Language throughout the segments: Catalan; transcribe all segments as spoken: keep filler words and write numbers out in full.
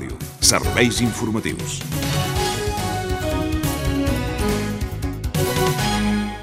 Ràdio. Serveis informatius.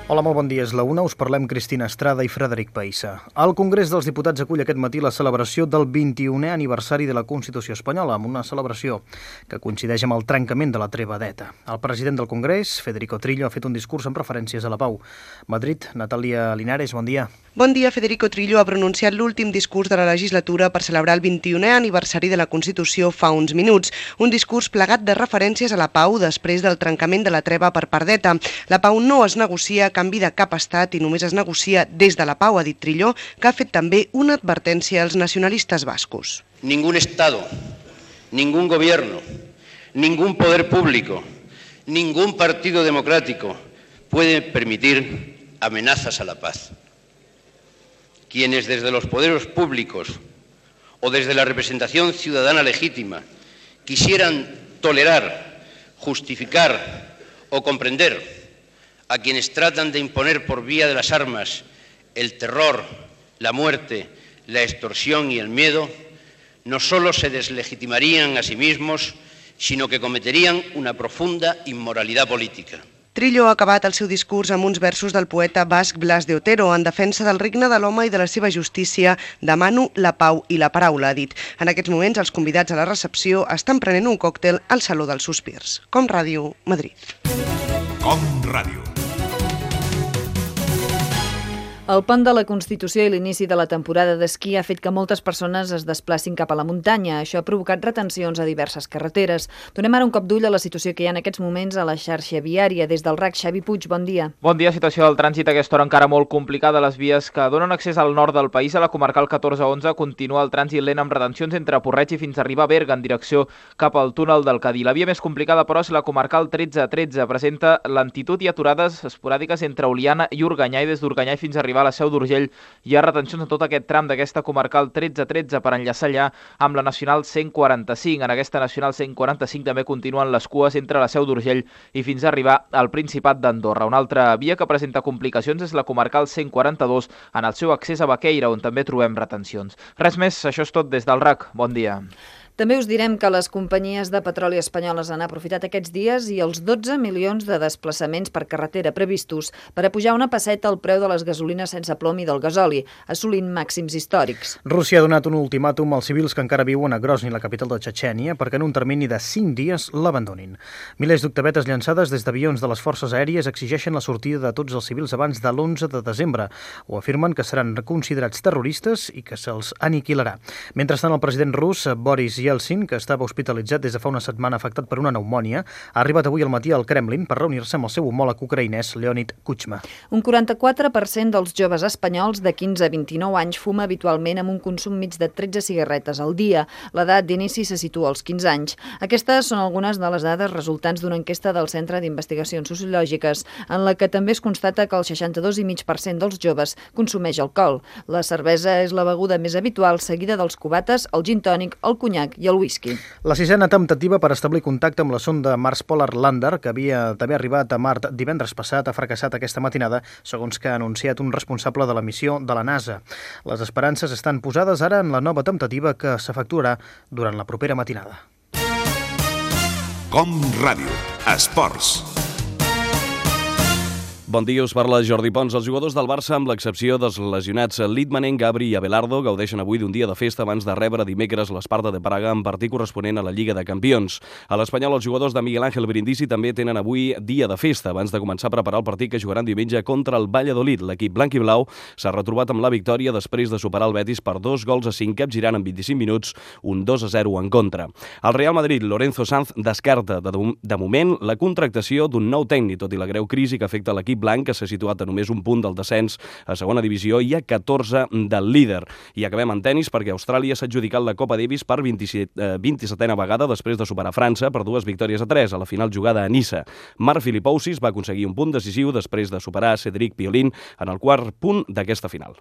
Hola, molt bon dia. És la una. Us parlem Cristina Estrada i Frederic Païssa. El Congrés dels Diputats acull aquest matí la celebració del vint-i-unè aniversari de la Constitució espanyola, amb una celebració que coincideix amb el trencament de la treva d'Eta. El president del Congrés, Federico Trillo, ha fet un discurs amb referències a la pau. Madrid, Natàlia Linares, bon dia. Bon dia. Federico Trillo ha pronunciat l'últim discurs de la legislatura per celebrar el vint-i-unè aniversari de la Constitució fa uns minuts. Un discurs plegat de referències a la pau després del trencament de la treva per part d'Eta. La pau no es negocia a canvi de cap estat i només es negocia des de la pau, ha dit Trillo, que ha fet també una advertència als nacionalistes bascos. Ningún Estado, ningún gobierno, ningún poder público, ningún partido democrático puede permitir amenazas a la paz. Quienes desde los poderes públicos o desde la representación ciudadana legítima quisieran tolerar, justificar o comprender a quienes tratan de imponer por vía de las armas el terror, la muerte, la extorsión y el miedo, no solo se deslegitimarían a sí mismos, sino que cometerían una profunda inmoralidad política. Trillo ha acabat el seu discurs amb uns versos del poeta basc Blas de Otero en defensa del regne de l'home i de la seva justícia. Demano la pau i la paraula, ha dit. En aquests moments, els convidats a la recepció estan prenent un còctel al Saló dels Sospirs. Com Ràdio, Madrid. Com Ràdio. El pont de la Constitució i l'inici de la temporada d'esquí ha fet que moltes persones es desplacin cap a la muntanya. Això ha provocat retencions a diverses carreteres. Donem ara un cop d'ull a la situació que hi ha en aquests moments a la xarxa viària. Des del R A C, Xavi Puig, bon dia. Bon dia. Situació del trànsit a aquesta hora encara molt complicada. Les vies que donen accés al nord del país, a la comarcal catorze onze, continua el trànsit lent amb retencions entre Porreig i fins a arribar a Berga en direcció cap al túnel del Cadí. La via més complicada, però, és la comarcal tretze tretze. Presenta lentitud i aturades esporàdiques entre Oliana i Organyà, i des d'Organyà fins a arribar a la Seu d'Urgell hi ha retencions en tot aquest tram d'aquesta comarcal tretze tretze per enllaçar allà amb la Nacional cent quaranta-cinc. En aquesta Nacional cent quaranta-cinc també continuen les cues entre la Seu d'Urgell i fins a arribar al Principat d'Andorra. Una altra via que presenta complicacions és la comarcal cent quaranta-dos en el seu accés a Baqueira, on també trobem retencions. Res més, això és tot des del R A C. Bon dia. També us direm que les companyies de petroli espanyoles han aprofitat aquests dies i els dotze milions de desplaçaments per carretera previstos per a pujar una pesseta al preu de les gasolines sense plom i del gasoli, assolint màxims històrics. Rússia ha donat un ultimàtum als civils que encara viuen a Grozny, la capital de Txetxènia, perquè en un termini de cinc dies l'abandonin. Milers d'octavetes llançades des d'avions de les forces aèries exigeixen la sortida de tots els civils abans de l'onze de desembre. Ho afirmen que seran considerats terroristes i que se'ls aniquilarà. Mentrestant, el president rus, Boris Yeltsin, que estava hospitalitzat des de fa una setmana afectat per una pneumònia, ha arribat avui al matí al Kremlin per reunir-se amb el seu homòleg ucraïnès, Leonid Kuchma. Un quaranta-quatre per cent dels joves espanyols de quinze a vint-i-nou anys fuma habitualment amb un consum mig de tretze cigarretes al dia. L'edat d'inici se situa als quinze anys. Aquestes són algunes de les dades resultants d'una enquesta del Centre d'Investigacions Sociològiques, en la que també es constata que el seixanta-dos coma cinc per cent dels joves consumeix alcohol. La cervesa és la beguda més habitual, seguida dels cubates, el gin tònic, el conyac i el whisky. La sisena temptativa per establir contacte amb la sonda Mars Polar Lander, que havia també arribat a Mart divendres passat, ha fracassat aquesta matinada, segons que ha anunciat un responsable de la missió de la NASA. Les esperances estan posades ara en la nova temptativa que s'efectuarà durant la propera matinada. Com Ràdio. Esports. Bon dia, us parla Jordi Pons. Els jugadors del Barça, amb l'excepció dels lesionats Litmanen, Gabri i Abelardo, gaudeixen avui d'un dia de festa abans de rebre dimecres l'Esparta de Praga en partit corresponent a la Lliga de Campions. A l'Espanyol, els jugadors de Miguel Ángel Brindisi també tenen avui dia de festa abans de començar a preparar el partit que jugaran diumenge contra el Valladolid. L'equip blanc i blau s'ha retrobat amb la victòria després de superar el Betis per dos gols a cinc, capgirant en vint-i-cinc minuts, un dos a zero en contra. El Real Madrid, Lorenzo Sanz, descarta de, de moment la contractació d'un nou tècnic, tot i la greu crisi que afecta l'equip blanc, que s'ha situat a només un punt del descens a segona divisió i a catorze del líder. I acabem en tenis perquè Austràlia s'ha adjudicat la Copa Davis per vint-i-setena vegada després de superar França per dues victòries a tres a la final jugada a Niça. Marc Filipousis va aconseguir un punt decisiu després de superar Cédric Pioline en el quart punt d'aquesta final.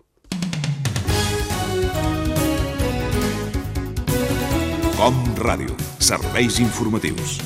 Com Ràdio. Serveis informatius.